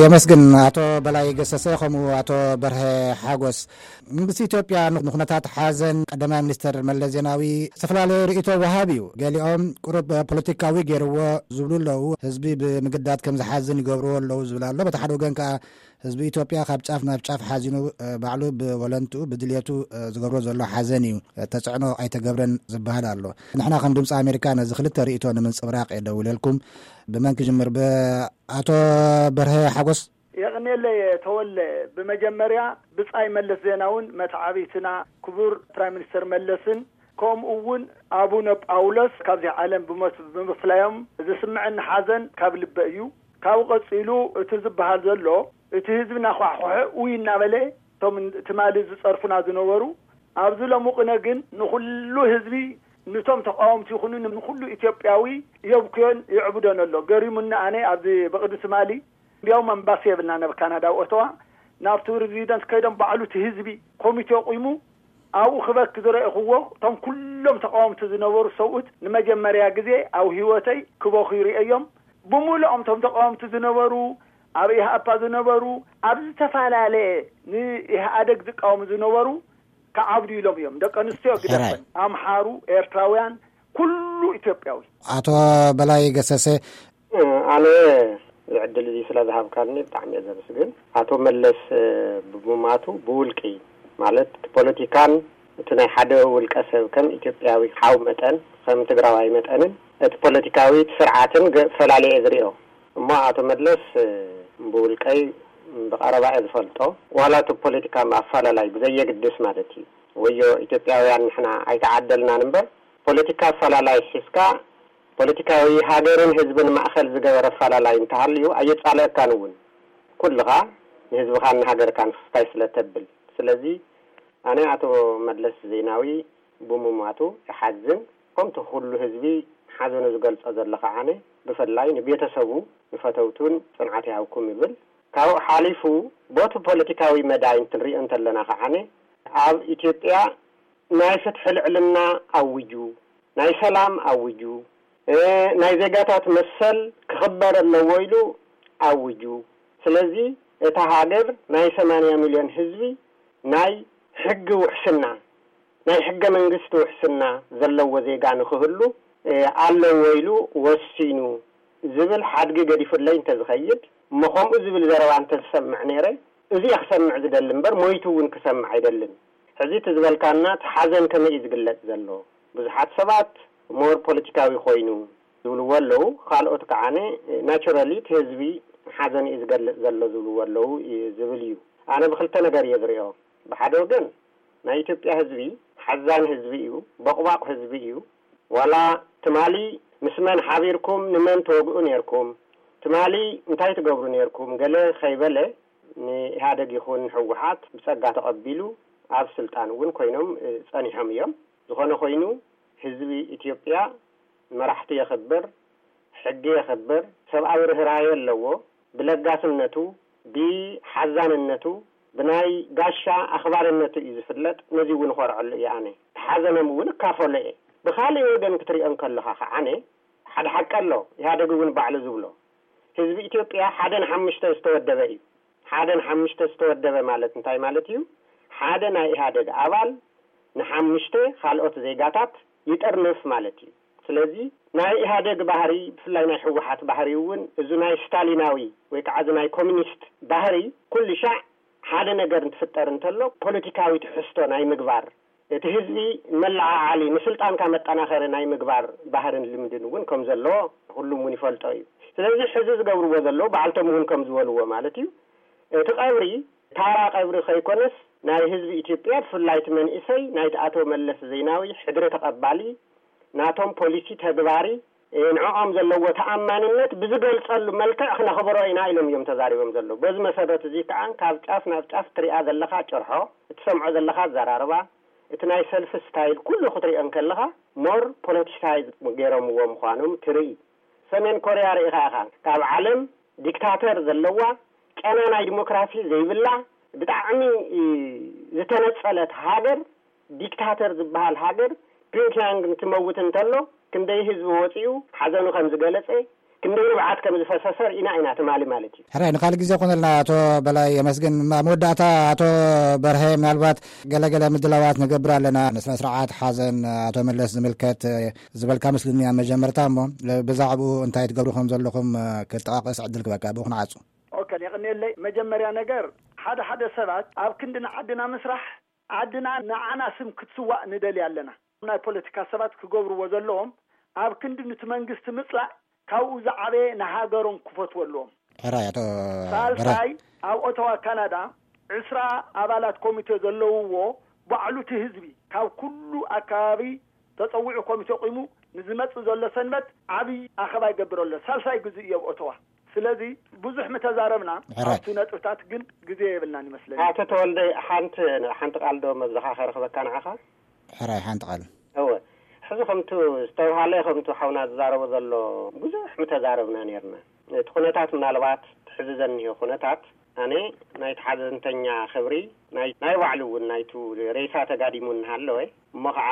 የመስግን። ኣቶ በላይ ገሰሰ ከምኡ ኣቶ በርሀ ሓጎስ። መንግስቲ ኢትዮጵያ ንኩነታት ሓዘን ቀዳማይ ሚኒስትር መለስ ዜናዊ ዝተፈላለዩ ርእይቶ ወሃብ እዩ። ገሊኦም ቁሩብ ፖለቲካዊ ገይርዎ ዝብሉ ኣለዉ። ህዝቢ ብምግዳድ ከም ዝሓዝን ይገብርዎ ኣለዉ ዝብል ኣሎ። በቲ ሓደ ወገን ከኣ ህዝቢ ኢትዮጵያ ካብ ጫፍ ናብ ጫፍ ሓዚኑ፣ እ፣ ባዕሉ ብወለንትኡ ብድልየቱ፣ እ፣ ዝገብሮ ዘሎ ሓዘን እዩ። እ፣ ተጽዕኖ ኣይተገብረን ዝበሃል ኣሎ። ንሕና ከም ድምፂ ኣሜሪካ ነዚ ክልተ ርእይቶ ንምንጽብራቕ እየ ደውለልኩም። ብመን ክጅምር? ብኣቶ በርሀ ሓጎስ። የቕኔለይ ተወለ። ብመጀመርያ ብጻይ መለስ ዜናውን መተዓብይትና ክቡር ፕራይም ሚኒስተር መለስን ከምኡ እውን ኣቡነ ጳውሎስ ካብዚ ዓለም ብሞት ብምፍላዮም ዝስምዐኒ ሓዘን ካብ ልበ እዩ። ካብኡ ቀጺሉ እቲ ዝበሃል ዘሎ፣ እቲ ህዝቢ እናኳሕኮሐ ውይ እናበለ እቶም ትማሊ ዝጸርፉና ዝነበሩ ኣብዚ ሎሚ ቅነ ግን ንኹሉ ህዝቢ፣ ንቶም ተቃወምቲ ይኹኑ ንኹሉ ኢትዮጵያዊ የብክዮን ይዕብዶን ኣሎ። ገሪሙኒ ኣነ ኣብዚ ብቕድሚ ትማሊ እንዲያውም ኣምባሲ የብልና ናብ ካናዳ ኣብ ኦተዋ ናብ ፕረዚደንት ከይዶም ባዕሉ እቲ ህዝቢ ኮሚቴ ኣቑሙ ኣብኡ ክበኪ ዝረእኽዎ እቶም ኩሎም ተቃወምቲ ዝነበሩ ሰብኡት ንመጀመርያ ግዜ ኣብ ህይወተይ ክበኹ ይርእዮም። ብምሉኦም እቶም ተቃወምቲ ዝነበሩ ኣብ ኢህኣፓ ዝነበሩ ኣብ ዝተፈላለየ ንኢህኣደግ ዝቃወሙ ዝነበሩ ክዓብዱ ኢሎም እዮም። ደቂ ኣንስትዮ ግደፈን፣ ኣምሓሩ፣ ኤርትራውያን፣ ኩሉ ኢትዮጵያዊ። ኣቶ በላይ ገሰሰ። ኣነ እዚ ዕድል እዚ ስለ ዝሃብካኒ ብጣዕሚ እየ ዘመስግን። ኣቶ መለስ፣ እ፣ ብምማቱ ብውልቂ ማለት እቲ ፖለቲካን እቲ ናይ ሓደ ውልቀ ሰብ ከም ኢትዮጵያዊ ሓው መጠን ከም ትግራዋይ መጠንን እቲ ፖለቲካዊ ስርዓትን ገ-፣ ፈላልየ እየ ዝሪኦ። እሞ ኣቶ መለስ፣ እ፣ ብውልቀይ ብቐረባ እየ ዝፈልጦ። ዋላ እቲ ፖለቲካ ኣፈላላይ ብዘየግድስ ማለት እዩ። ወዮ ኢትዮጵያውያን ንሕና ኣይተዓደልናን እምበር ፖለቲካ ኣፈላላይ ሒዝካ ፖለቲካዊ ሃገርን ህዝብን ማእኸል ዝገበረ ኣፈላላይ እንተሃልዩ ኣየጻልአካን እውን። ኩልኻ ንህዝብኻን ንሃገርካን ፍስታይ ስለ ተብል። ስለዚ ኣነ ኣቶ መለስ ዜናዊ ብምሟቱ እሓዝን፣ ከምቲ ኩሉ ህዝቢ ሓዘኑ ዝገልጾ ዘሎ ከዓነ፣ ብፍላይ ንቤተሰቡ፣ ንፈተውቱን ጽንዓት ይሃብኩም ይብል። ካብኡ ሓሊፉ ቦቲ ፖለቲካዊ መዳይ እንትንሪኦ እንተለና ከዓነ፣ ኣብ ኢትዮጵያ ናይ ፍትሒ ልዕልና ኣዊጁ፣ ናይ ሰላም ኣዊጁ፣ እ፣ ናይ ዜጋታት መሰል ክኽበር ኣለዎ ኢሉ ኣዊጁ። ስለዚ እታ ሃገር ናይ ሰማንያ ሚልዮን ህዝቢ ናይ ሕጊ ውሕስና፣ ናይ ሕገ መንግስቲ ውሕስና ዘለዎ ዜጋ ንኽህሉ፣ እ፣ ኣለዎ ኢሉ ወሲኑ ዝብል ሓድጊ ገዲፉለይ እንተዝኸይድ፣ እሞ ከምኡ ዝብል ዘረባ እንተዝሰምዕ ነይረ፣ እዚ እየ ክሰምዕ ዝደሊ እምበር ሞይቱ እውን ክሰምዕ ኣይደልን። ሕዚ እቲ ዝበልካና እቲ ሓዘን ከመይ እዩ ዝግለጽ ዘሎ? ብዙሓት ሰባት ሞር ፖለቲካዊ ኮይኑ ዝብልዎ ኣለዉ። ካልኦት ከዓነ ናቹራሊ እቲ ህዝቢ ሓዘን እዩ ዝገልጽ ዘሎ ዝብልዎ ኣለዉ እዩ ዝብል እዩ። ኣነ ብክልተ ነገር እየ ዝሪኦ። ብሓደ ወገን ናይ ኢትዮጵያ ህዝቢ ሓዛን ህዝቢ እዩ፣ ቦቕባቕ ህዝቢ እዩ። ዋላ ትማሊ ምስ መን ሓቢርኩም ንመን ትወግኡ ነይርኩም፣ ትማሊ እንታይ ትገብሩ ነይርኩም ገለ ከይበለ ንኢህኣደግ ይኹን ንህወሓት ብጸጋ ተቐቢሉ ኣብ ስልጣን እውን ኮይኖም፣ እ፣ ጸኒሖም እዮም። ዝኾነ ኮይኑ ህዝቢ ኢትዮጵያ መራሕቲ የኽብር፣ ሕጊ የኽብር፣ ሰብኣዊ ርህራሄ ኣለዎ። ብለጋስነቱ፣ ብሓዛንነቱ፣ ብናይ ጋሻ ኣኽባርነቱ እዩ ዝፍለጥ። ነዚ እውን እኾርዐሉ እየ ኣነ። ሓዘኖም እውን እካፈሎ እየ። ብኻልእ ወገን ክትሪኦ እንከለኻ ከዓነ ሓደ ሓቂ ኣሎ። ኢህኣደግ እውን ባዕሉ ዝብሎ፣ ህዝቢ ኢትዮጵያ ሓደ ንሓሙሽተ ዝተወደበ እዩ። ሓደ ንሓሙሽተ ዝተወደበ ማለት እንታይ ማለት እዩ? ሓደ ናይ ኢህኣደግ ኣባል ንሓሙሽተ ካልኦት ዜጋታት ይጥርንፍ ማለት እዩ። ስለዚ ናይ ኢህኣደግ ባህሪ፣ ብፍላይ ናይ ህወሓት ባህሪ እውን፣ እዚ ናይ ስታሊናዊ ወይ ከዓ እዚ ናይ ኮሚኒስት ባህሪ፣ ኩሉ ሻዕ ሓደ ነገር እንትፍጠር እንተሎ ፖለቲካዊ ትሕዝቶ ናይ ምግባር፣ እቲ ህዝቢ መለዓዓሊ፣ ንስልጣንካ መጠናኸሪ ናይ ምግባር ባህርን ልምድን እውን ከም ዘሎ ኩሉም እውን ይፈልጦ እዩ። ስለዚ ሕዚ ዝገብርዎ ዘለዉ ባዕልቶም እውን ከም ዝበልዎ ማለት እዩ። እቲ ቀብሪ ታራ ቀብሪ ከይኮነስ፣ ናይ ህዝቢ ኢትዮጵያ፣ ብፍላይ እቲ መንእሰይ ናይቲ ኣቶ መለስ ዜናዊ ሕድሪ ተቐባሊ፣ ናቶም ፖሊሲ ተግባሪ፣ እ፣ ንዕኦም ዘለዎ ተኣማንነት ብዝገልጸሉ መልክዕ ክነኽብሮ ኢና ኢሎም እዮም ተዛሪቦም ዘለዉ። በዚ መሰረት እዚ ከዓ ካብ ጫፍ ናብ ጫፍ ትሪኣ ዘለኻ ጭርሖ፣ እትሰምዖ ዘለኻ ኣዘራርባ፣ እቲ ናይ ሰልፊ ስታይል ኩሉ ክትሪኦ እንከለኻ ሞር ፖለቲሳይዝ ገይሮምዎ ምዃኖም ትርኢ። ሰሜን ኮርያ ርኢኻ ኢኻ፣ ካብ ዓለም ዲክታተር ዘለዋ፣ ጨና ናይ ዲሞክራሲ ዘይብላ፣ ብጣዕሚ፣ እ፣ ዝተነጸለት ሃገር፣ ዲክታተር ዝበሃል ሃገር፣ ፒዮንግያንግ እንትመውት እንተሎ ክንደይ ህዝቢ ወጺኡ ሓዘኑ ከም ዝገለጸ፣ ክንደይ ንብዓት ከም ዝፈሰሰ ርኢና ኢና ትማሊ ማለት እዩ። ሕራይ፣ ንኻልእ ግዜ ኮነልና። ኣቶ በላይ የመስግን። ኣብ መወዳእታ ኣቶ በርሀ፣ ምናልባት ገለገለ ምድላዋት ንገብር ኣለና፣ ንስነ ስርዓት ሓዘን ኣቶ መለስ ዝምልከት ዝበልካ ምስልኒ ኣብ መጀመርታ፣ እሞ ብዛዕባኡ እንታይ ትገብሩ ከም ዘለኹም ክጠቓቐስ ዕድል ክበካ ብኡ ክንዓጹ። ኦከ፣ የቕንየለይ። መጀመርያ ነገር፣ ሓደ ሓደ ሰባት ኣብ ክንዲ ንዓድና ምስራሕ፣ ዓድና ንዓና ስም ክትስዋእ ንደሊ ኣለና። ናይ ፖለቲካ ሰባት ክገብርዎ ዘለዎም፣ ኣብ ክንዲ ንቲ መንግስቲ ምጽላእ፣ ካብኡ ዝዓበየ ንሃገሮም ክፈትዎ ኣለዎም። ሕራይ ኣቶ ሳልሳይ፣ ኣብ ኦተዋ ካናዳ ዕስራ ኣባላት ኮሚቴ ዘለውዎ፣ ባዕሉ እቲ ህዝቢ ካብ ኩሉ ኣከባቢ ተጸዊዑ ኮሚቴ ቂሙ ንዝመጽእ ዘሎ ሰንበት ዓብዪ ኣኸባ ይገብር ኣሎ። ሳልሳይ ግዜ እዩ ኣብ ኦተዋ። ስለዚ ብዙሕ ምተዛረብና፣ ሕራይ ኣብቲ ነጥብታት ግን ግዜ የብልናን ይመስለኒ። ኣቶ ተወልደ፣ ሓንቲ ሓንቲ ቃል ዶ መብዛኻ ከረኽበካ ንዓኻ? ሕራይ ሓንቲ ቃል። እወ፣ ሕዚ ከምቱ ዝተብሃለ፣ ከምቱ ሓውና ዝዛረቦ ዘሎ፣ ብዙሕ ምተዛረብና ነርና። እቲ ኩነታት ምናልባት ትሕዚ ዘኒሆ ኩነታት፣ ኣነ ናይቲ ሓዘንተኛ ክብሪ፣ ናይ ናይ ባዕሉ እውን ናይቱ ሬሳ ተጋዲሙ እናሃለወ፣ እሞ ከዓ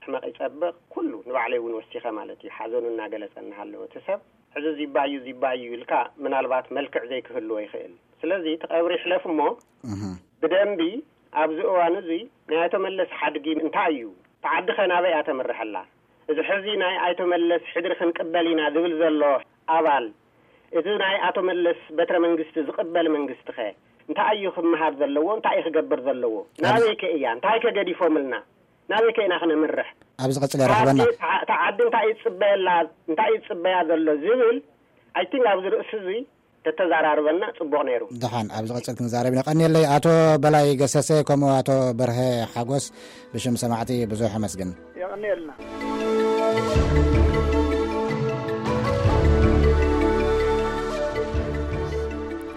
ሕመቕ ይጸብቕ፣ ኩሉ ንባዕለይ እውን ወሲኸ ማለት እዩ፣ ሓዘኑ እናገለጸ እናሃለወ፣ እቲ ሰብ ሕዚ ዚባዩ ዚባዩ ኢልካ ምናልባት መልክዕ ዘይክህልዎ ይኽእል። ስለዚ እቲ ቀብሪ ይሕለፍ እሞ፣ እህ። ብደንቢ ኣብዚ እዋን እዚ ናይ ኣቶ መለስ ሓድጊ እንታይ እዩ? ተዓዲ ኸ ናበይ እያ ተምርሐላ? እዚ ሕዚ ናይ ኣይቶ መለስ ሕድሪ ክንቅበል ኢና ዝብል ዘሎ ኣባል፣ እዚ ናይ ኣቶ መለስ በትረ መንግስቲ ዝቕበል መንግስቲ ኸ እንታይ እዩ ክመሃር ዘለዎ? እንታይ እዩ ክገብር ዘለዎ? ናበይ ከ እያ? እንታይ ከ ገዲፎምልና? ናበይ ከ ኢና ክነምርሕ? ኣብዚ ቀጽል የረኽበና። ተዓዲ እንታይ ይጽበየላ? እንታይ ይጽበያ ዘሎ ዝብል፣ ኣይ ቲንክ ኣብዚ ርእሲ እዚ ተተዛራርበና ጽቡቕ ነይሩ። ደሓን፣ ኣብዚ ቀጽል ክንዛረብ ኢና። ቀንየለይ ኣቶ በላይ ገሰሰ፣ ከምኡ ኣቶ በርሀ ሓጎስ፣ ብሽም ሰማዕቲ ብዙሕ ኣመስግን። የቐንየልና።